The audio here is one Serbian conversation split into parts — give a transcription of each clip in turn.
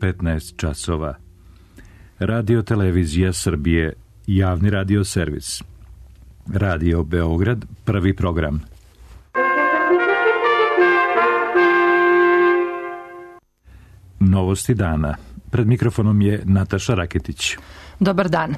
15 časova. Radio Televizija Srbije, javni radio servis. Radio Beograd, prvi program. Novosti dana. Pred mikrofonom je Nataša Raketić. Dobar dan.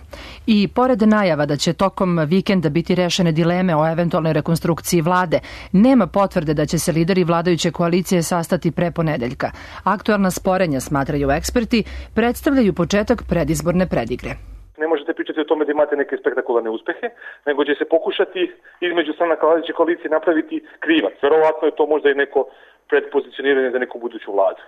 I pored najava da će tokom vikenda biti rešene dileme o eventualnoj rekonstrukciji vlade, nema potvrde da će se lideri vladajuće koalicije sastati pre ponedeljka. Aktualna sporenja, smatraju eksperti, predstavljaju početak predizborne predigre. Ne možete pričati o tome da imate neke spektakularne uspehe, nego će se pokušati između stranaka vladajuće koalicije napraviti krivac. Verovatno je to možda i neko predpozicioniranje za neku buduću vladu.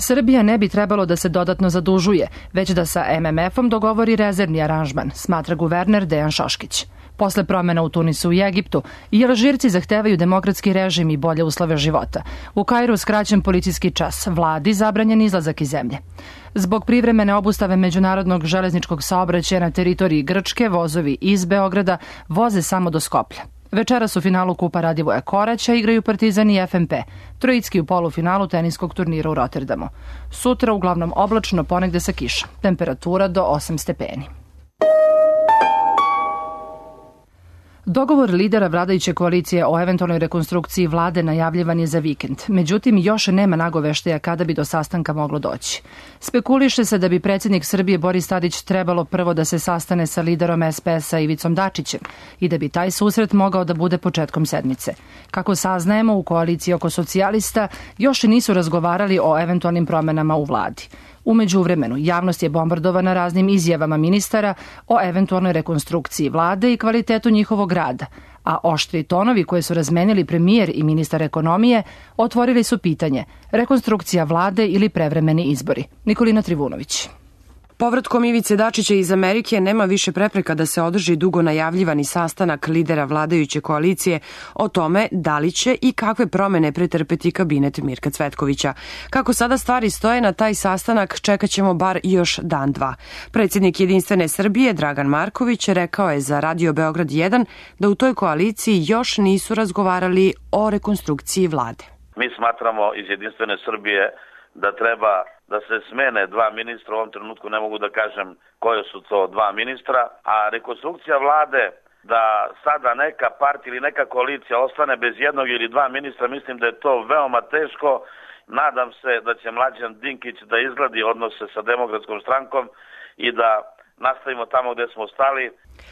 Srbija ne bi trebalo da se dodatno zadužuje, već da sa MMF-om dogovori rezervni aranžman, smatra guverner Dejan Šoškić. Posle promena u Tunisu i Egiptu, i Alžirci zahtevaju demokratski režim i bolje uslove života. U Kairu skraćen policijski čas, vladi zabranjen izlazak iz zemlje. Zbog privremene obustave međunarodnog železničkog saobraćaja na teritoriji Grčke, vozovi iz Beograda voze samo do Skoplja. Večeras u finalu Kupa Radivoja Koraća igraju Partizan i FNP, Trojicki u polufinalu teniskog turnira u Rotterdamu. Sutra uglavnom oblačno, ponegde sa kišom. Temperatura do 8 stepeni. Dogovor lidera vladajuće koalicije o eventualnoj rekonstrukciji vlade najavljivan je za vikend. Međutim, još nema nagoveštaja kada bi do sastanka moglo doći. Spekuliše se da bi predsjednik Srbije Boris Tadić trebalo prvo da se sastane sa liderom SPS-a Ivicom Dačićem i da bi taj susret mogao da bude početkom sedmice. Kako saznajemo, u koaliciji oko socijalista još nisu razgovarali o eventualnim promenama u vladi. U međuvremenu, javnost je bombardovana raznim izjavama ministara o eventualnoj rekonstrukciji vlade i kvalitetu njihovog rada, a oštri tonovi koje su razmenili premijer i ministar ekonomije otvorili su pitanje rekonstrukcija vlade ili prevremeni izbori. Nikolina Trivunović. Povratkom Ivice Dačića iz Amerike nema više prepreka da se održi dugo najavljivani sastanak lidera vladajuće koalicije o tome da li će i kakve promene pretrpeti kabinet Mirka Cvetkovića. Kako sada stvari stoje, na taj sastanak čekat ćemo bar još dan, dva. Predsjednik Jedinstvene Srbije Dragan Marković rekao je za Radio Beograd 1 da u toj koaliciji još nisu razgovarali o rekonstrukciji vlade. Mi smatramo iz Jedinstvene Srbije da treba da se smene dva ministra, u ovom trenutku ne mogu da kažem koje su to dva ministra, a rekonstrukcija vlade da sada neka partija ili neka koalicija ostane bez jednog ili dva ministra, mislim da je to veoma teško. Nadam se da će Mlađan Dinkić da izgladi odnose sa Demokratskom strankom i da nastavimo tamo gde smo stali.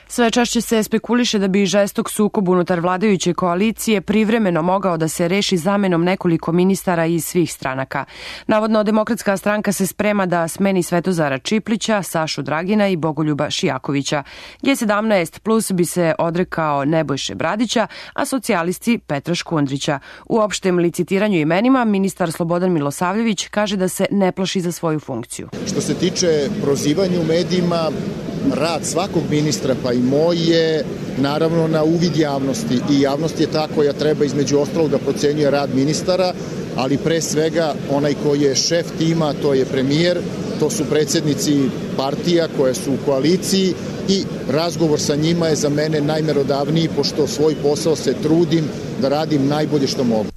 Sve češće se spekuliše da bi žestok sukob unutar vladajuće koalicije privremeno mogao da se reši zamenom nekoliko ministara iz svih stranaka. Navodno, Demokratska stranka se sprema da smeni Svetozara Čiplića, Sašu Dragina i Bogoljuba Šijakovića. G17 plus bi se odrekao Nebojše Bradića, a socijalisti Petra Škundrića. U opštem licitiranju imenima ministar Slobodan Milosavljević kaže da se ne plaši za svoju funkciju. Što se tiče prozivanja u medijima, rad svakog ministra, pa i moj, je naravno na uvid javnosti i javnost je ta koja treba između ostalog da procenjuje rad ministara, ali pre svega onaj koji je šef tima, to je premijer, to su predsjednici partija koje su u koaliciji i razgovor sa njima je za mene najmerodavniji, pošto svoj posao se trudim da radim najbolje što mogu.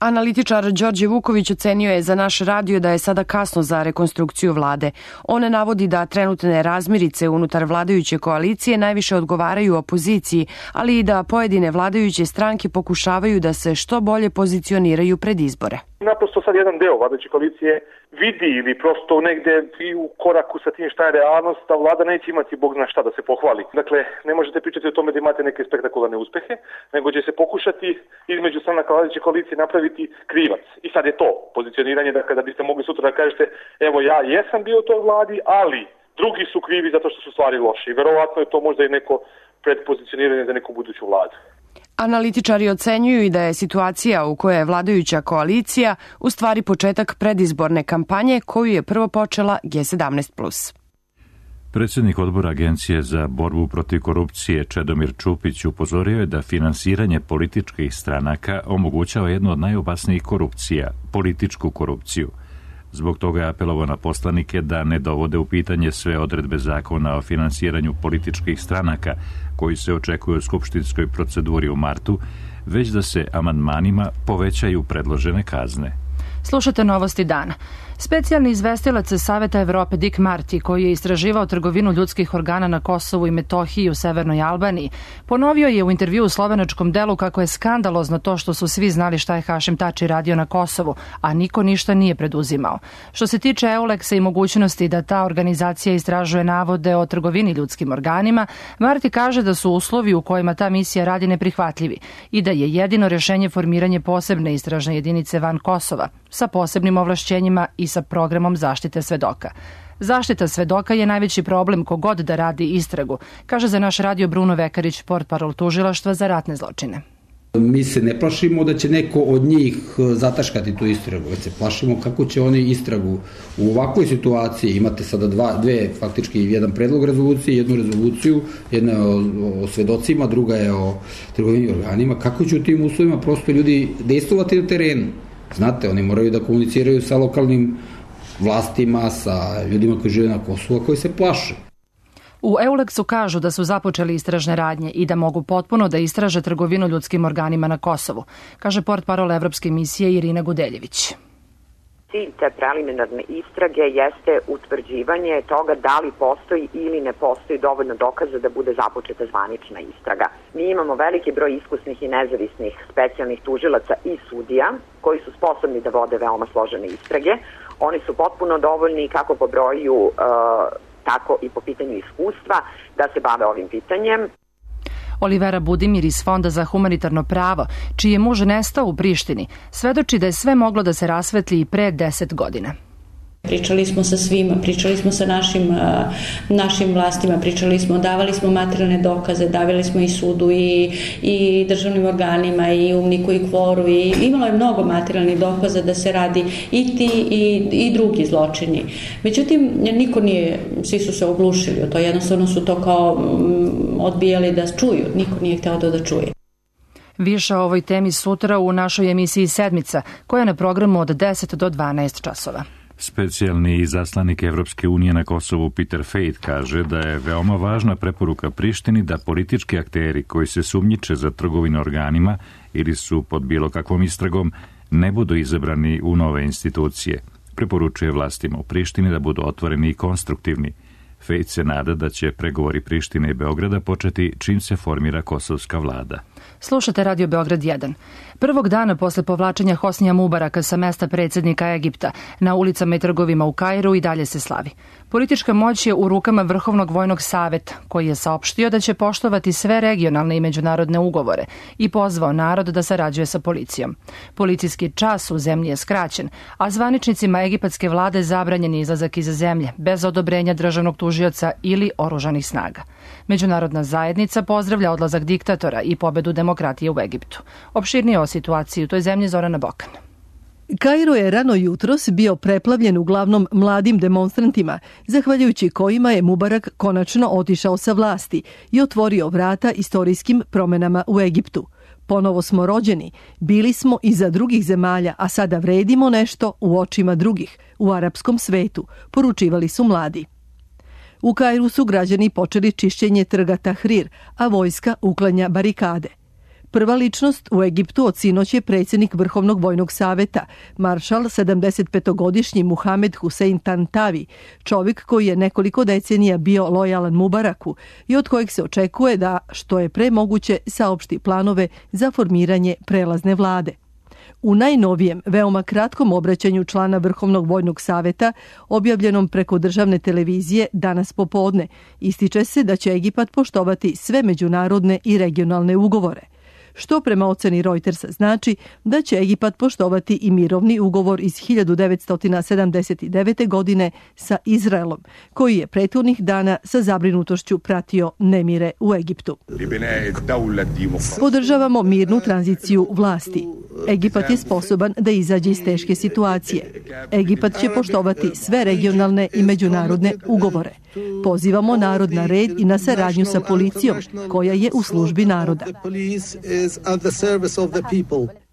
Analitičar Đorđe Vuković ocenio je za naš radio da je sada kasno za rekonstrukciju vlade. On navodi da trenutne razmirice unutar vladajuće koalicije najviše odgovaraju opoziciji, ali i da pojedine vladajuće stranke pokušavaju da se što bolje pozicioniraju pred izbore. Naprosto sad jedan deo vladajuće koalicije vidi ili prosto negde i u koraku sa tim šta je realnost, a vlada neće imati bog zna šta da se pohvali. Dakle, ne možete pričati o tome da imate neke spektakularne uspehe, nego će se pokušati između stranaka vladajuće koalicije napraviti krivac. I sad je to pozicioniranje da kada biste mogli sutra da kažete evo ja jesam bio u toj vladi, ali drugi su krivi zato što su stvari loše. I verovatno je to možda i neko predpozicioniranje za neku buduću vladu. Analitičari ocenjuju i da je situacija u kojoj je vladajuća koalicija u stvari početak predizborne kampanje koju je prvo počela G17+. Predsjednik odbora Agencije za borbu protiv korupcije Čedomir Čupić upozorio je da finansiranje političkih stranaka omogućava jednu od najopasnijih korupcija, političku korupciju. Zbog toga je apelovao na poslanike da ne dovode u pitanje sve odredbe zakona o finansiranju političkih stranaka koji se očekuju u skupštinskoj proceduri u martu, već da se amandmanima povećaju predložene kazne. Slušate novosti dana. Specijalni izvestilac Saveta Evrope Dick Marty, koji je istraživao trgovinu ljudskih organa na Kosovu i Metohiji i u Severnoj Albaniji, ponovio je u intervju u slovenačkom delu kako je skandalozno to što su svi znali šta je Hašim Tači radio na Kosovu, a niko ništa nije preduzimao. Što se tiče EULEX-a i mogućnosti da ta organizacija istražuje navode o trgovini ljudskim organima, Marty kaže da su uslovi u kojima ta misija radi neprihvatljivi i da je jedino rešenje formiranje posebne istražne jedinice van Kosova sa posebnim ovlašćenjima i sa programom zaštite svedoka. Zaštita svedoka je najveći problem kogod da radi istragu, kaže za naš radio Bruno Vekarić, portparol tužilaštva za ratne zločine. Mi se ne plašimo da će neko od njih zataškati tu istragu, već se plašimo kako će oni istragu u ovakvoj situaciji. Imate sada dve, faktički jedan predlog rezolucije, jednu rezoluciju, jedna je o svedocima, druga je o trgovini organima. Kako će u tim uslovima prosto ljudi dejstvovati na terenu? Znate, oni moraju da komuniciraju sa lokalnim vlastima, sa ljudima koji žive na Kosovu, a koji se plaše. U EULEX-u kažu da su započeli istražne radnje i da mogu potpuno da istraže trgovinu ljudskim organima na Kosovu, kaže portparol Evropske misije Irina Gudeljević. Cilj te preliminarne istrage jeste utvrđivanje toga da li postoji ili ne postoji dovoljno dokaza da bude započeta zvanična istraga. Mi imamo veliki broj iskusnih i nezavisnih specijalnih tužilaca i sudija koji su sposobni da vode veoma složene istrage. Oni su potpuno dovoljni kako po broju, tako i po pitanju iskustva da se bave ovim pitanjem. Olivera Budimir iz Fonda za humanitarno pravo, čiji je muž nestao u Prištini, svedoči da je sve moglo da se rasvetli i pre 10 godina. Pričali smo sa svima, pričali smo sa našim vlastima, davali smo materijalne dokaze, davali smo i sudu i državnim organima i UMNIK-u i KFOR-u i imalo je mnogo materijalnih dokaza da se radi i ti i drugi zločini. Međutim, niko nije, svi su se oglušili o to, jednostavno su to kao odbijali da čuju, niko nije hteo da čuje. Više o ovoj temi sutra u našoj emisiji Sedmica, koja je na programu od 10 do 12 časova. Specijalni izaslanik Evropske unije na Kosovu Peter Fejt kaže da je veoma važna preporuka Prištini da politički akteri koji se sumnjiče za trgovinu organima ili su pod bilo kakvom istragom ne budu izabrani u nove institucije. Preporučuje vlastima u Prištini da budu otvoreni i konstruktivni. Fejt se nada da će pregovori Prištine i Beograda početi čim se formira kosovska vlada. Slušate Radio Beograd 1. Prvog dana posle povlačenja Hosnija Mubaraka sa mesta predsjednika Egipta na ulicama i trgovima u Kairu i dalje se slavi. Politička moć je u rukama Vrhovnog vojnog saveta, koji je saopštio da će poštovati sve regionalne i međunarodne ugovore i pozvao narod da sarađuje sa policijom. Policijski čas u zemlji je skraćen, a zvaničnicima egipatske vlade zabranjen je izlazak iz zemlje bez odobrenja državnog tužioca ili oružanih snaga. Međunarodna zajednica pozdravlja odlazak diktatora i pobedu demokratije u Egiptu. Opširnije o situaciji u toj zemlji Zorana Bokan. Kairo je rano jutros bio preplavljen uglavnom mladim demonstrantima, zahvaljujući kojima je Mubarak konačno otišao sa vlasti i otvorio vrata istorijskim promenama u Egiptu. Ponovo smo rođeni, bili smo iza drugih zemalja, a sada vredimo nešto u očima drugih, u arapskom svetu, poručivali su mladi. U Kairu su građani počeli čišćenje trga Tahrir, a vojska uklanja barikade. Prva ličnost u Egiptu od sinoć je predsjednik Vrhovnog vojnog saveta, maršal 75-godišnji Muhamed Hussein Tantavi, čovjek koji je nekoliko decenija bio lojalan Mubaraku i od kojeg se očekuje da, što je pre moguće, saopšti planove za formiranje prelazne vlade. U najnovijem, veoma kratkom obraćanju člana Vrhovnog vojnog saveta, objavljenom preko državne televizije danas popodne, ističe se da će Egipat poštovati sve međunarodne i regionalne ugovore, što prema oceni Reutersa znači da će Egipat poštovati i mirovni ugovor iz 1979. godine sa Izraelom, koji je prethodnih dana sa zabrinutošću pratio nemire u Egiptu. Podržavamo mirnu tranziciju vlasti. Egipat je sposoban da izađe iz teške situacije. Egipat će poštovati sve regionalne i međunarodne ugovore. Pozivamo narod na red i na saradnju sa policijom, koja je u službi naroda.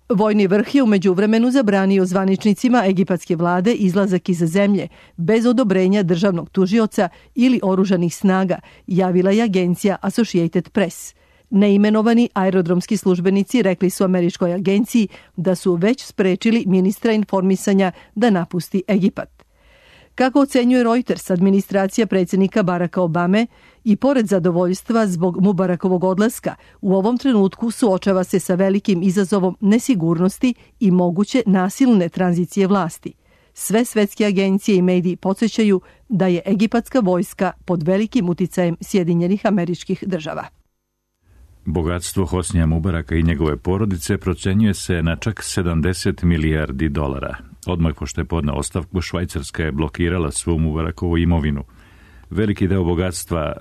Vojni vrh je u međuvremenu zabranio zvaničnicima egipatske vlade izlazak iz zemlje bez odobrenja državnog tužioca ili oružanih snaga, javila je agencija Associated Press. Neimenovani aerodromski službenici rekli su američkoj agenciji da su već sprečili ministra informisanja da napusti Egipat. Kako ocenjuje Reuters, administracija predsjednika Baracka Obame i pored zadovoljstva zbog Mubarakovog odlaska, u ovom trenutku suočava se sa velikim izazovom nesigurnosti i moguće nasilne tranzicije vlasti. Sve svetske agencije i mediji podsjećaju da je egipatska vojska pod velikim uticajem Sjedinjenih Američkih Država. Bogatstvo Hosnija Mubaraka i njegove porodice procenjuje se na čak 70 milijardi dolara. Odmah pošto je podneo ostavku, Švajcarska je blokirala svu Mubarakovu imovinu. Veliki deo bogatstva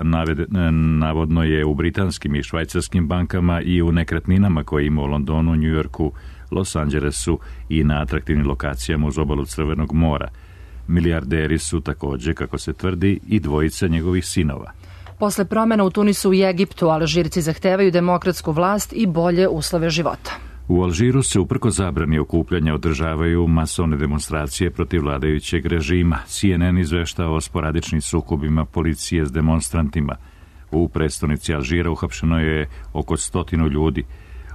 navodno je u britanskim i švajcarskim bankama i u nekretninama koje ima u Londonu, Njujorku, Los Angelesu i na atraktivnim lokacijama uz obalu Crvenog mora. Milijarderi su također, kako se tvrdi, i dvojica njegovih sinova. Posle promjena u Tunisu i Egiptu, Alžirci zahtevaju demokratsku vlast i bolje uslove života. U Alžiru se uprko zabrani okupljanja održavaju masovne demonstracije protiv vladajućeg režima. CNN izveštava o sporadičnim sukobima policije s demonstrantima. U prestonici Alžira uhapšeno je oko 100 ljudi.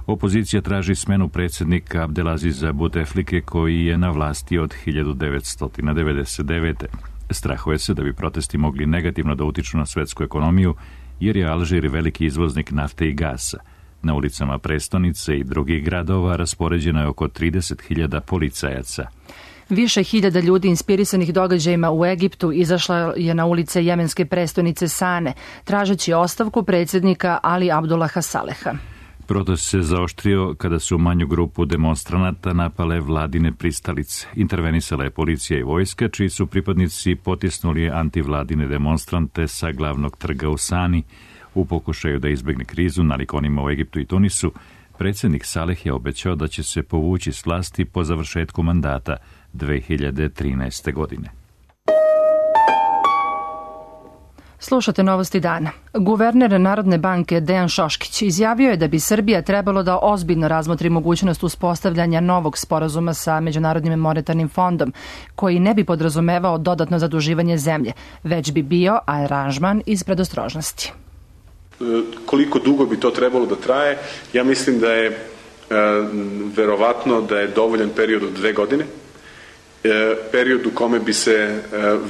Opozicija traži smenu predsjednika Abdelaziza Bouteflike koji je na vlasti od 1999. Strahuje se da bi protesti mogli negativno da utiču na svetsku ekonomiju, jer je Alžir veliki izvoznik nafte i gasa. Na ulicama prestonice i drugih gradova raspoređeno je oko 30.000 policajaca. Više hiljada ljudi inspirisanih događajima u Egiptu izašla je na ulice jemenske prestonice Sane, tražeći ostavku predsjednika Ali Abdullaha Saleha. Protest se zaoštrio kada su manju grupu demonstranata napale vladine pristalice. Intervenisala je policija i vojska, čiji su pripadnici potisnuli antivladine demonstrante sa glavnog trga u Sani. U pokušaju da izbegne krizu nalik onima u Egiptu i Tunisu, predsjednik Saleh je obećao da će se povući s vlasti po završetku mandata 2013. godine. Slušate novosti dana. Guverner Narodne banke Dejan Šoškić izjavio je da bi Srbija trebalo da ozbiljno razmotri mogućnost uspostavljanja novog sporazuma sa Međunarodnim monetarnim fondom, koji ne bi podrazumevao dodatno zaduživanje zemlje, već bi bio aranžman iz predostrožnosti. Koliko dugo bi to trebalo da traje? Ja mislim da je verovatno da je dovoljan period od 2 godine. Period u kome bi se,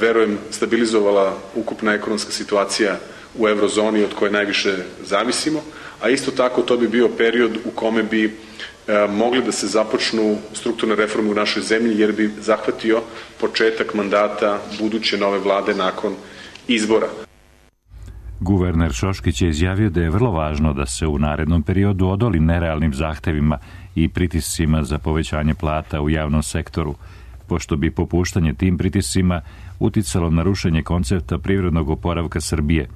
verujem, stabilizovala ukupna ekonomska situacija u eurozoni od koje najviše zavisimo, a isto tako to bi bio period u kome bi mogli da se započnu strukturne reforme u našoj zemlji, jer bi zahvatio početak mandata buduće nove vlade nakon izbora. Guverner Šoškić je izjavio da je vrlo važno da se u narednom periodu odoli nerealnim zahtevima i pritiscima za povećanje plata u javnom sektoru, pošto bi popuštanje tim pritiscima uticalo na rušenje koncepta privrednog oporavka Srbije.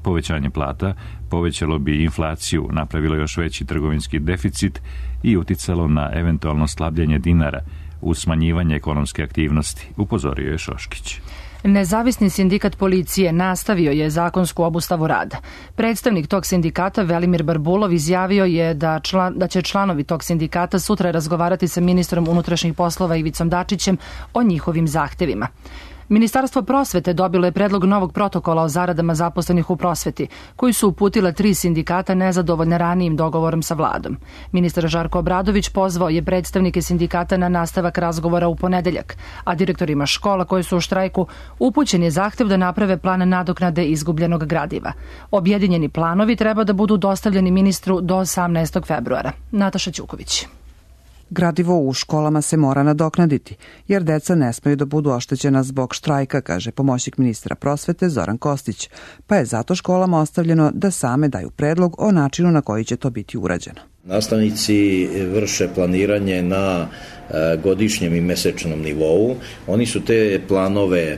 Povećanje plata povećalo bi inflaciju, napravilo još veći trgovinski deficit i uticalo na eventualno slabljenje dinara uz smanjivanje ekonomske aktivnosti, upozorio je Šoškić. Nezavisni sindikat policije nastavio je zakonsku obustavu rada. Predstavnik tog sindikata Velimir Barbulov izjavio je da će članovi tog sindikata sutra razgovarati sa ministrom unutrašnjih poslova Ivicom Dačićem o njihovim zahtevima. Ministarstvo prosvete dobilo je predlog novog protokola o zaradama zaposlenih u prosveti, koji su uputile 3 sindikata nezadovoljne ranijim dogovorom sa vladom. Ministar Žarko Obradović pozvao je predstavnike sindikata na nastavak razgovora u ponedeljak, a direktorima škola koji su u štrajku upućen je zahtev da naprave plan nadoknade izgubljenog gradiva. Objedinjeni planovi treba da budu dostavljeni ministru do 18. februara. Nataša Ćuković. Gradivo u školama se mora nadoknaditi, jer deca ne smeju da budu oštećena zbog štrajka, kaže pomoćnik ministra prosvete Zoran Kostić, pa je zato školama ostavljeno da same daju predlog o načinu na koji će to biti urađeno. Nastavnici vrše planiranje na godišnjem i mesečnom nivou. Oni su te planove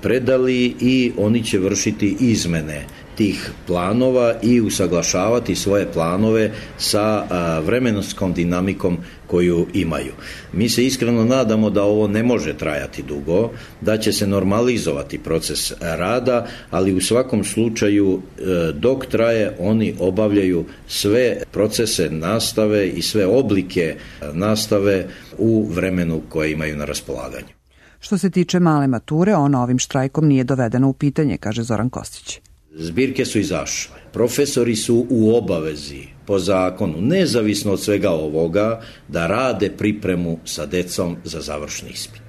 predali i oni će vršiti izmene tih planova i usaglašavati svoje planove sa vremenskom dinamikom koju imaju. Mi se iskreno nadamo da ovo ne može trajati dugo, da će se normalizovati proces rada, ali u svakom slučaju dok traje oni obavljaju sve procese nastave i sve oblike nastave u vremenu koje imaju na raspolaganju. Što se tiče male mature, ona ovim štrajkom nije dovedena u pitanje, kaže Zoran Kostić. Zbirke su izašle. Profesori su u obavezi po zakonu, nezavisno od svega ovoga, da rade pripremu sa decom za završni ispit.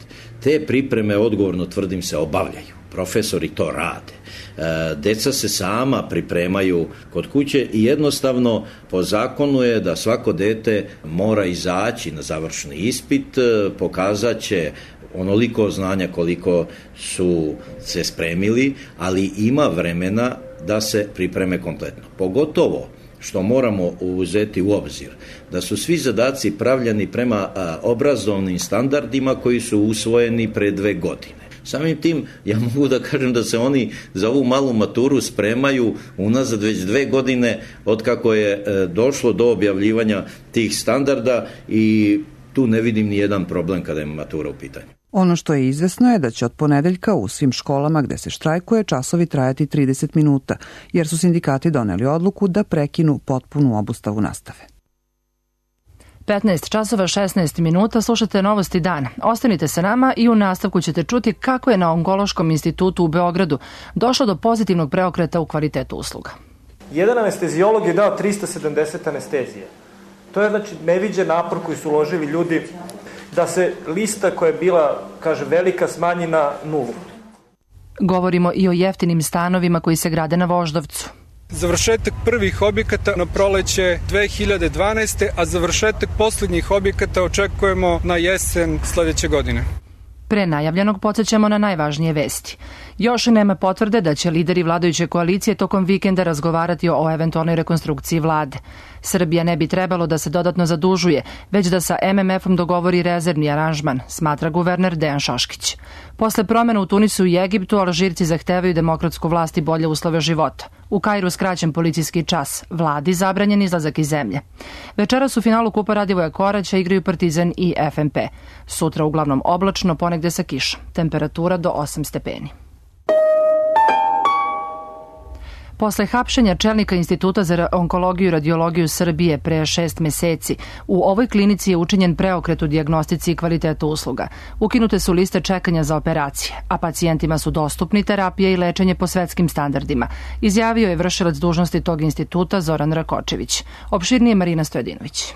Te pripreme, odgovorno tvrdim, se obavljaju. Profesori to rade. Deca se sama pripremaju kod kuće i jednostavno po zakonu je da svako dete mora izaći na završni ispit, pokazat će onoliko znanja koliko su se spremili, ali ima vremena da se pripreme kompletno. Pogotovo što moramo uzeti u obzir da su svi zadaci pravljeni prema obrazovnim standardima koji su usvojeni pre 2 godine. Samim tim, ja mogu da kažem da se oni za ovu malu maturu spremaju unazad već 2 godine od kako je došlo do objavljivanja tih standarda i tu ne vidim ni jedan problem kada je matura u pitanju. Ono što je izvesno je da će od ponedeljka u svim školama gde se štrajkuje časovi trajati 30 minuta, jer su sindikati doneli odluku da prekinu potpunu obustavu nastave. 15 časova 16 minuta, slušate Novosti dana. Ostanite sa nama i u nastavku ćete čuti kako je na Onkološkom institutu u Beogradu došlo do pozitivnog preokreta u kvalitetu usluga. Jedan anesteziolog je dao 370 anestezije. To je znači neviđen napor koji su uložili ljudi da se lista koja je bila, kaže, velika smanji na 0. Govorimo i o jeftinim stanovima koji se grade na Voždovcu. Završetak prvih objekata na proleće 2012. a završetak poslednjih objekata očekujemo na jesen sledeće godine. Pre najavljenog podsjećamo na najvažnije vesti. Još nema potvrde da će lideri vladajuće koalicije tokom vikenda razgovarati o eventualnoj rekonstrukciji vlade. Srbija ne bi trebalo da se dodatno zadužuje, već da sa MMF-om dogovori rezervni aranžman, smatra guverner Dejan Šoškić. Posle promena u Tunisu i Egiptu, Alžirci zahtevaju demokratsku vlast i bolje uslove života. U Kairu skraćen policijski čas, vladi zabranjen izlazak iz zemlje. Večeras u finalu Kupa Radivoja Koraća igraju Partizan i FNP. Sutra uglavnom oblačno, ponegde sa kišom. Temperatura do 8 stepeni. Posle hapšenja čelnika Instituta za onkologiju i radiologiju Srbije pre 6 meseci, u ovoj klinici je učinjen preokret u dijagnostici i kvalitetu usluga. Ukinute su liste čekanja za operacije, a pacijentima su dostupni terapije i lečenje po svetskim standardima, izjavio je vršilac dužnosti tog instituta Zoran Rakočević. Opširnije Marina Stojadinović.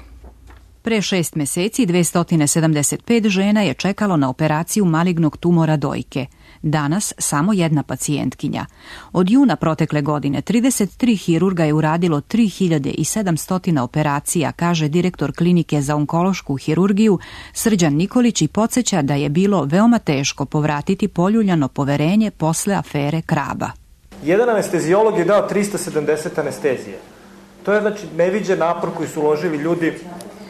Pre 6 meseci 275 žena je čekalo na operaciju malignog tumora dojke. Danas samo jedna pacijentkinja. Od juna protekle godine 33 hirurga je uradilo 3700 operacija, kaže direktor klinike za onkološku hirurgiju Srđan Nikolić i podsjeća da je bilo veoma teško povratiti poljuljano poverenje posle afere Kraba. Jedan anesteziolog je dao 370 anestezije. To je znači neviđen napor koji su uložili ljudi,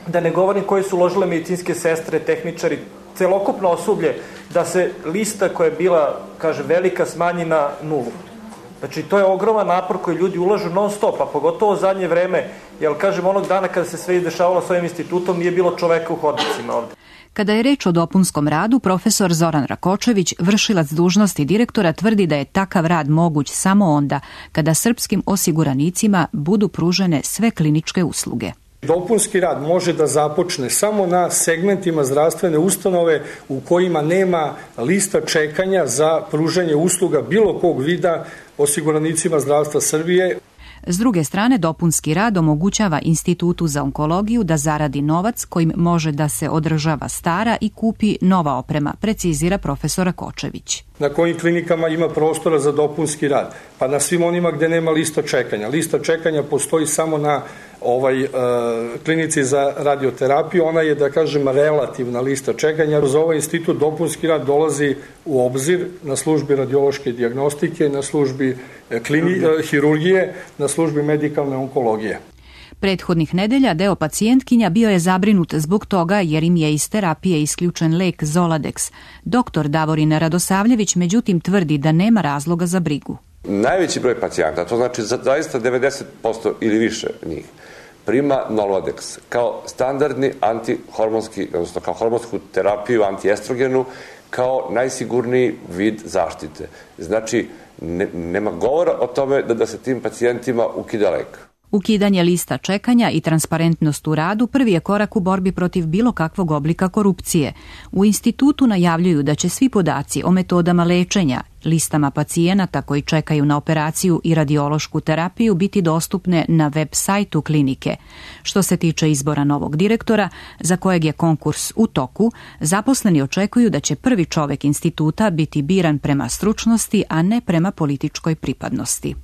da ne govorim koji su uložile medicinske sestre, tehničari, celokupno osoblje, da se lista koja je bila, kaže, velika smanji na 0. Znači, to je ogroman napor koji ljudi ulažu non stop, a pogotovo zadnje vreme, jer, kažem, onog dana kada se sve izdešavalo s ovim institutom, nije bilo čoveka u hodnicima ovde. Kada je reč o dopunskom radu, profesor Zoran Rakočević, vršilac dužnosti direktora, tvrdi da je takav rad moguć samo onda kada srpskim osiguranicima budu pružene sve kliničke usluge. Dopunski rad može da započne samo na segmentima zdravstvene ustanove u kojima nema lista čekanja za pružanje usluga bilo kog vida osiguranicima zdravstva Srbije. S druge strane, dopunski rad omogućava Institutu za onkologiju da zaradi novac kojim može da se održava stara i kupi nova oprema, precizira profesor Rakočević. Na kojim klinikama ima prostora za dopunski rad? Pa na svim onima gde nema lista čekanja. Lista čekanja postoji samo na klinici za radioterapiju, ona je, da kažem, relativna lista čekanja. Za ovaj institut dopunski rad dolazi u obzir na službi radiološke dijagnostike, na službi hirurgije, na službi medikalne onkologije. Prethodnih nedelja deo pacijentkinja bio je zabrinut zbog toga jer im je iz terapije isključen lek Zoladex. Doktor Davorin Radosavljević međutim tvrdi da nema razloga za brigu. Najveći broj pacijenta, to znači zaista 90% ili više njih, prima Nolodex kao standardni antihormonski, odnosno kao hormonsku terapiju, antiestrogenu, kao najsigurniji vid zaštite. Znači, nema govora o tome da se tim pacijentima ukida lek. Ukidanje lista čekanja i transparentnost u radu prvi je korak u borbi protiv bilo kakvog oblika korupcije. U institutu najavljuju da će svi podaci o metodama lečenja, listama pacijenata koji čekaju na operaciju i radiološku terapiju biti dostupne na web sajtu klinike. Što se tiče izbora novog direktora, za kojeg je konkurs u toku, zaposleni očekuju da će prvi čovek instituta biti biran prema stručnosti, a ne prema političkoj pripadnosti.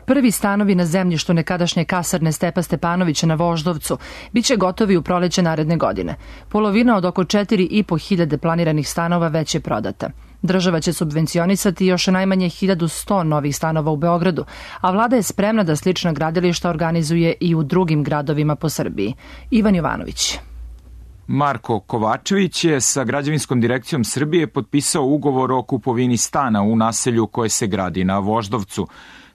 Prvi stanovi na zemljištu nekadašnje kasarne Stepa Stepanovića na Voždovcu biće gotovi u proleće naredne godine. Polovina od oko 4.500 planiranih stanova već je prodata. Država će subvencionisati još najmanje 1100 novih stanova u Beogradu, a vlada je spremna da slična gradilišta organizuje i u drugim gradovima po Srbiji. Ivan Jovanović. Marko Kovačević je sa Građevinskom direkcijom Srbije potpisao ugovor o kupovini stana u naselju koje se gradi na Voždovcu.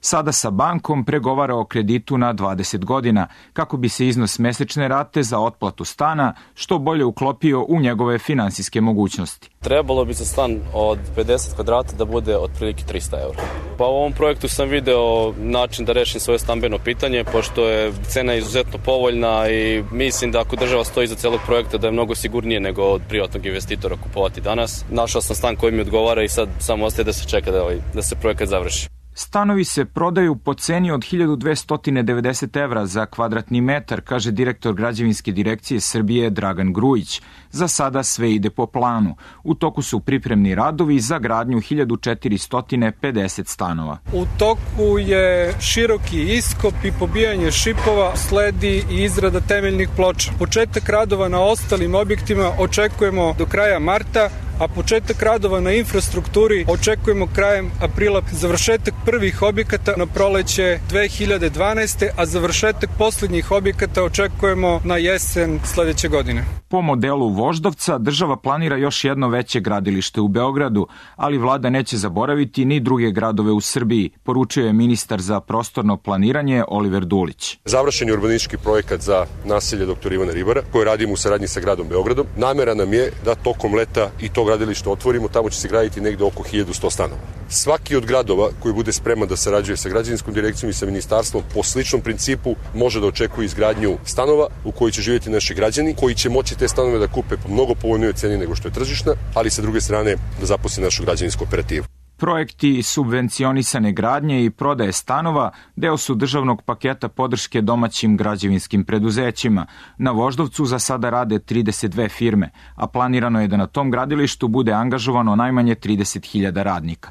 Sada sa bankom pregovara o kreditu na 20 godina, kako bi se iznos mesečne rate za otplatu stana što bolje uklopio u njegove finansijske mogućnosti. Trebalo bi za stan od 50 kvadrata da bude otprilike 300 €. Pa u ovom projektu sam video način da rešim svoje stambeno pitanje, pošto je cena izuzetno povoljna i mislim da ako država stoji iza celog projekta da je mnogo sigurnije nego od privatnog investitora kupovati danas. Našao sam stan koji mi odgovara i sad samo ostaje da se čeka da se projekat završi. Stanovi se prodaju po ceni od 1290 € za kvadratni metar, kaže direktor Građevinske direkcije Srbije Dragan Grujić. Za sada sve ide po planu. U toku su pripremni radovi za gradnju 1450 stanova. U toku je široki iskop i pobijanje šipova, sledi i izrada temeljnih ploča. Početak radova na ostalim objektima očekujemo do kraja marta, a početak radova na infrastrukturi očekujemo krajem aprila. Završetak prvih objekata na proleće 2012. a završetak posljednjih objekata očekujemo na jesen sledeće godine. Po modelu Voždovca država planira još jedno veće gradilište u Beogradu, ali vlada neće zaboraviti ni druge gradove u Srbiji, poručio je ministar za prostorno planiranje Oliver Dulić. Završen je urbanistički projekat za naselje dr. Ivana Ribara, koje radimo u saradnji sa gradom Beogradom. Namera nam je da tokom leta i to gradilište otvorimo, tamo će se graditi negde oko 1100 stanova. Svaki od gradova koji bude spreman da sarađuje sa Građevinskom direkcijom i sa ministarstvom po sličnom principu može da očekuje izgradnju stanova u koji će živjeti naši građani, koji će moći te stanove da kupe po mnogo povoljnijoj ceni nego što je tržišna, ali sa druge strane da zaposli našu građevinsku operativu. Projekti subvencionisane gradnje i prodaje stanova deo su državnog paketa podrške domaćim građevinskim preduzećima. Na Voždovcu za sada rade 32 firme, a planirano je da na tom gradilištu bude angažovano najmanje 30.000 radnika.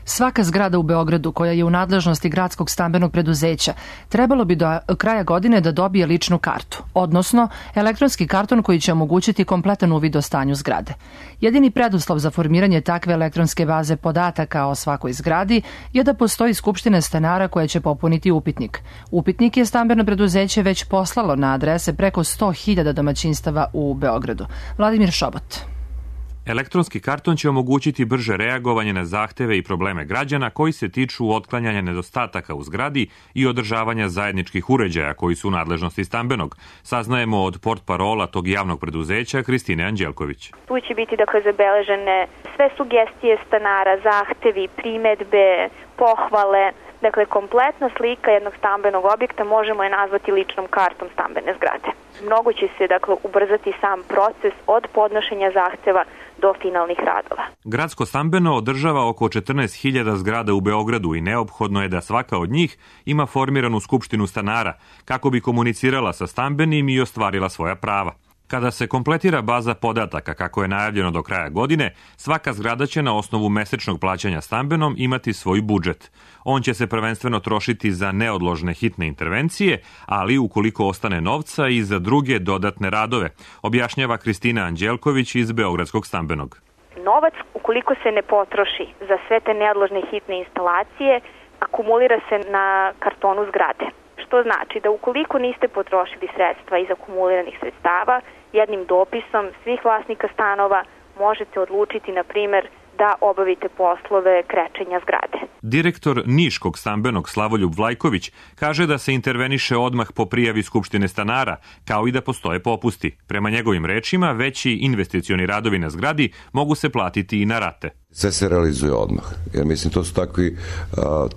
Svaka zgrada u Beogradu koja je u nadležnosti gradskog stambenog preduzeća trebalo bi do kraja godine da dobije ličnu kartu, odnosno elektronski karton koji će omogućiti kompletan uvid o stanju zgrade. Jedini preduslov za formiranje takve elektronske baze podataka o svakoj zgradi je da postoji skupština stanara koja će popuniti upitnik. Upitnik je stambeno preduzeće već poslalo na adrese preko 100.000 domaćinstava u Beogradu. Vladimir Šobot. Elektronski karton će omogućiti brže reagovanje na zahteve i probleme građana koji se tiču otklanjanja nedostataka u zgradi i održavanja zajedničkih uređaja koji su u nadležnosti stambenog. Saznajemo od portparola tog javnog preduzeća Kristine Anđelković. Tu će biti zabeležene sve sugestije stanara, zahtevi, primedbe, pohvale. Dakle, kompletna slika jednog stambenog objekta možemo je nazvati ličnom kartom stambene zgrade. Mnogo će se ubrzati sam proces od podnošenja zahteva do finalnih radova. Gradsko stambeno održava oko 14.000 zgrada u Beogradu i neophodno je da svaka od njih ima formiranu skupštinu stanara kako bi komunicirala sa stambenim i ostvarila svoja prava. Kada se kompletira baza podataka kako je najavljeno do kraja godine, svaka zgrada će na osnovu mesečnog plaćanja stambenom imati svoj budžet. On će se prvenstveno trošiti za neodložne hitne intervencije, ali ukoliko ostane novca i za druge dodatne radove, objašnjava Kristina Anđelković iz Beogradskog stambenog. Novac, ukoliko se ne potroši za sve te neodložne hitne instalacije, akumulira se na kartonu zgrade. Što znači da ukoliko niste potrošili sredstva iz akumuliranih sredstava, jednim dopisom svih vlasnika stanova možete odlučiti, na primjer, da obavite poslove krečenja zgrade. Direktor Niškog stambenog Slavoljub Vlajković kaže da se interveniše odmah po prijavi Skupštine stanara, kao i da postoje popusti. Prema njegovim rečima, veći investicioni radovi na zgradi mogu se platiti i na rate. Sve se realizuje odmah, jer mislim to su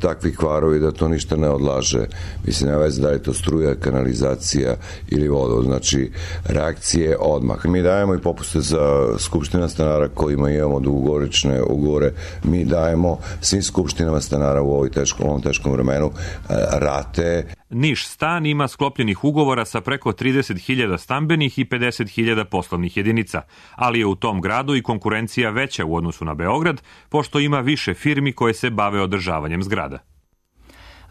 takvi kvarovi da to ništa ne odlaže. Mislim, nema veze da je to struja, kanalizacija ili voda, znači reakcije odmah. Mi dajemo i popuste za skupština stanara kojima imamo dugogorične ugovore, mi dajemo svim skupštinama stanara u ovom teškom vremenu rate. Niš stan ima sklopljenih ugovora sa preko 30.000 stambenih i 50.000 poslovnih jedinica, ali je u tom gradu i konkurencija veća u odnosu na Beograd, pošto ima više firmi koje se bave održavanjem zgrada.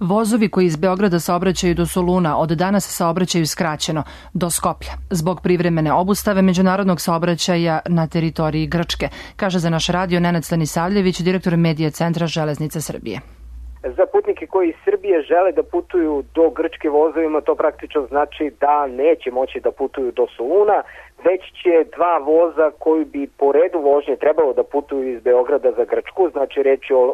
Vozovi koji iz Beograda saobraćaju do Soluna od danas saobraćaju skraćeno do Skoplja zbog privremene obustave međunarodnog saobraćaja na teritoriji Grčke, kaže za naš radio Nenad Stanisavljević, direktor Medija centra Železnice Srbije. Za putnike koji iz Srbije žele da putuju do Grčke vozovima, to praktično znači da neće moći da putuju do Soluna, već će dva voza koji bi po redu vožnje trebalo da putuju iz Beograda za Grčku, znači reč je o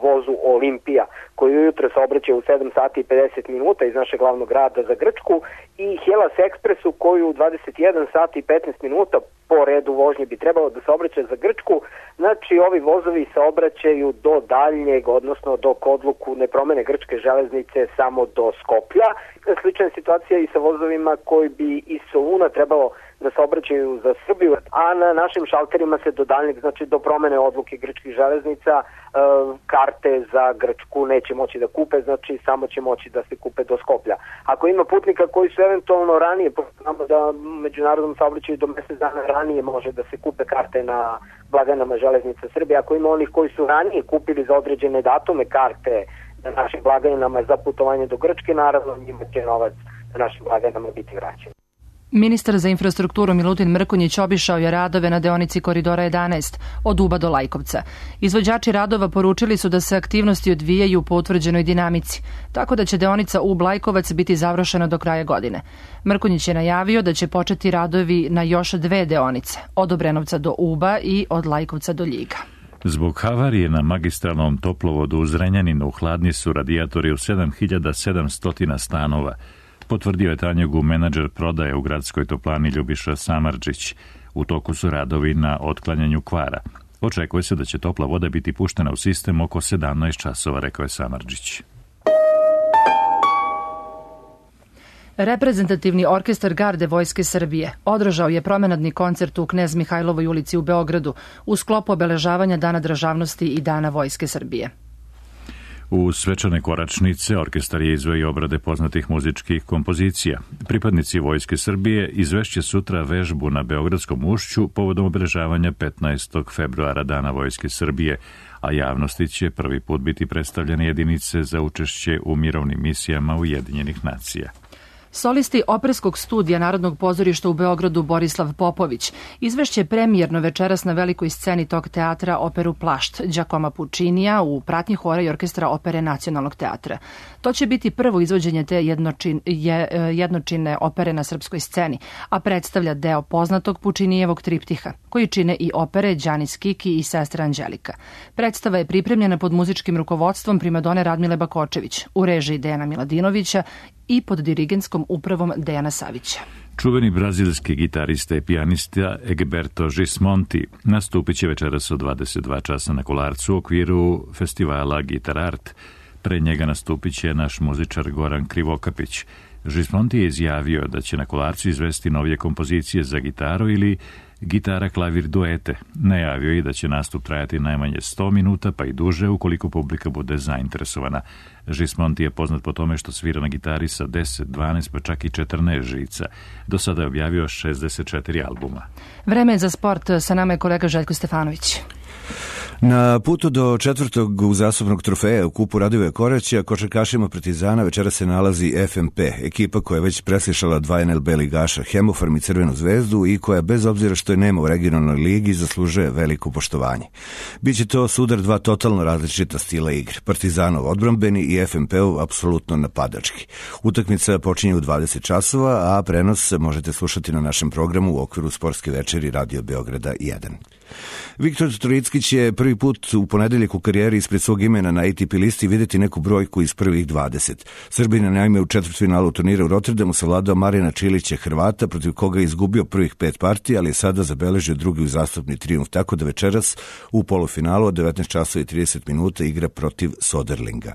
vozu Olimpija, koji ujutro saobraća u 7 sati i 50 minuta iz našeg glavnog grada za Grčku, i Hellas Expressu koji u 21 sati i 15 minuta po redu vožnje bi trebalo da saobraća za Grčku. Znači ovi vozovi saobraćaju do daljnjeg, odnosno dok odluku ne promene grčke železnice, samo do Skoplja. Slična situacija i sa vozovima koji bi iz Soluna trebalo da saobraćaju za Srbiju, a na našim šalterima se do daljnjeg, znači do promene odluke grčkih železnica, karte za Grčku neće moći da kupe, znači samo će moći da se kupe do Skoplja. Ako ima putnika koji su eventualno ranije, znamo da međunarodnom saobraćaju do mesec dana ranije može da se kupe karte na blagajnama železnica Srbije, ako ima onih koji su ranije kupili za određene datume karte na našim blagajnama za putovanje do Grčke, naravno njima će novac na našim blagajnama biti vraćen. Ministar za infrastrukturu Milutin Mrkonjić obišao je radove na deonici Koridora 11 od Uba do Lajkovca. Izvođači radova poručili su da se aktivnosti odvijaju po utvrđenoj dinamici, tako da će deonica Ub-Lajkovac biti završena do kraja godine. Mrkonjić je najavio da će početi radovi na još 2 deonice, od Obrenovca do Uba i od Lajkovca do Ljiga. Zbog havarije na magistralnom toplovodu u Zrenjaninu hladni su radijatori u 7700 stanova, potvrdio je Tanjugu menadžer prodaje u gradskoj toplani Ljubiša Samardžić. U toku su radovi na otklanjanju kvara. Očekuje se da će topla voda biti puštena u sistem oko 17 časova, rekao je Samardžić. Reprezentativni orkestar Garde Vojske Srbije održao je promenadni koncert u Knez Mihajlovoj ulici u Beogradu u sklopu obeležavanja Dana državnosti i Dana Vojske Srbije. U svečane koračnice orkestar je izveo i obrade poznatih muzičkih kompozicija. Pripadnici Vojske Srbije izvešće sutra vežbu na Beogradskom ušću povodom obeležavanja 15. februara Dana Vojske Srbije, a javnosti će prvi put biti predstavljene jedinice za učešće u mirovnim misijama Ujedinjenih nacija. Solisti operskog studija Narodnog pozorišta u Beogradu Borislav Popović izvešće premijerno večeras na velikoj sceni tog teatra operu Plašt Đakoma Pučinija u pratnji hora i orkestra opere Nacionalnog teatra. To će biti prvo izvođenje te jednočinne opere na srpskoj sceni, a predstavlja deo poznatog Pučinijevog triptiha, koji čine i opere Đanis Kiki i Sestra Anđelika. Predstava je pripremljena pod muzičkim rukovodstvom primadone Radmile Bakočević, u režiji Dejana Miladinovića i pod dirigentskom upravom Dejana Savića. Čuveni brazilski gitarista i pijanista Egberto Gismonti nastupit će večeras od 22 časa na Kolarcu u okviru festivala Gitar Art. Pre njega nastupit će naš muzičar Goran Krivokapić. Gismonti je izjavio da će na Kolarcu izvesti novije kompozicije za gitaru ili gitara klavir duete. Najavio je da će nastup trajati najmanje 100 minuta, pa i duže ukoliko publika bude zainteresovana. Gismonti je poznat po tome što svira na gitari sa 10, 12 pa čak i 14 žica. Do sada je objavio 64 albuma. Vreme je za sport, sa nama je kolega Željko Stefanović. Na putu do 4. uzastopnog trofeja u kupu Radivoja Koraća, košarkašima Partizana večera se nalazi FNP, ekipa koja je već preslišala 2 NLB ligaša, Hemofarm i Crvenu zvezdu, i koja bez obzira što je nema u regionalnoj ligi zaslužuje veliko poštovanje. Biće to sudar 2 totalno različita stila igre, Partizanov odbrambeni i FNP-ov apsolutno napadački. Utakmica počinje u 20 časova, a prenos možete slušati na našem programu u okviru sportske večeri Radio Beograda 1. Viktor Trojicki će prvi put u ponedeljak u karijeri ispred svog imena na ATP listi vidjeti neku brojku iz prvih 20. Srbina naime u četvrtfinalu turnira u Rotterdamu savladao Marijana Čilića, Hrvata, protiv koga je izgubio prvih 5 partija, ali je sada zabeležio drugi uzastopni trijumf, tako da večeras u polufinalu od 19:30 igra protiv Soderlinga.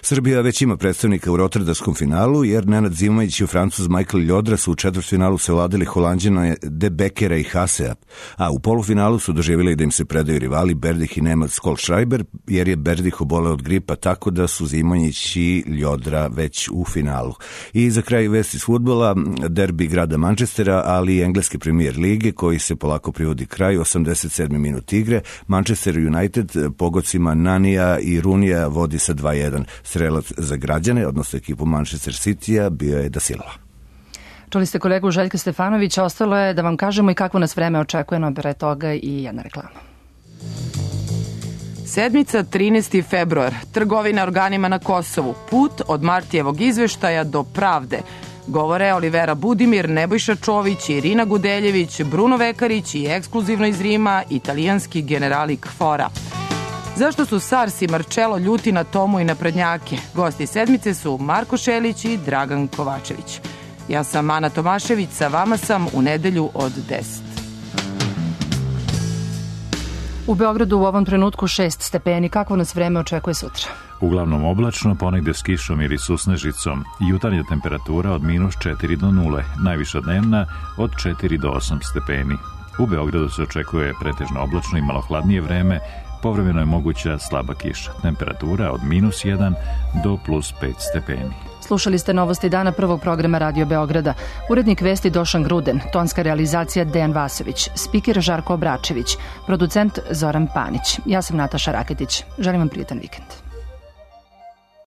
Srbija već ima predstavnika u Rotterdamskom finalu, jer Nenad Zimajić i Francuz Michael Ljodra su u četvrtfinalu savladali Holanđana De Bekera i Hasea, a u polufinalu su doživjeli da im se predaju rivali Berdih i Nemad Skolschreiber, jer je Berdih oboleo od gripa, tako da su Zimajić i Ljodra već u finalu. I za kraj vesti iz fudbala, derbi grada Manchestera, ali i engleske premier lige, koji se polako privodi kraju, 87. minut igre. Manchester United pogodcima Nanija i Runija vodi sa 2:1. Strelac za građane, odnosno ekipu Manchester City-a, bio je Da Silva. Čuli ste kolegu Željka Stefanovića, ostalo je da vam kažemo i kakvo nas vreme očekuje, no pre toga i jedna reklama. Sedmica 13. februar. Trgovina organima na Kosovu. Put od Martijevog izveštaja do pravde. Govore Olivera Budimir, Nebojša Čović, Irina Gudeljević, Bruno Vekarić i ekskluzivno iz Rima italijanski generali Kfora. Zašto su Sars i Marcello ljuti na Tomu i naprednjake? Gosti sedmice su Marko Šelić i Dragan Kovačević. Ja sam Ana Tomašević, sa vama sam u nedelju od 10. U Beogradu u ovom trenutku 6 stepeni. Kakvo nas vreme očekuje sutra? Uglavnom oblačno, ponegde s kišom ili susnežicom. Jutarnja temperatura od -4 do 0, najviša dnevna od 4 do 8 stepeni. U Beogradu se očekuje pretežno oblačno i malo hladnije vreme, povremeno je moguća slaba kiša. Temperatura od -1 do +5 stepeni. Slušali ste novosti dana prvog programa Radio Beograda. Urednik vesti Došan Gruden, tonska realizacija Dejan Vasović, spiker Žarko Obračević, producent Zoran Panić. Ja sam Nataša Raketić. Želim vam prijetan vikend.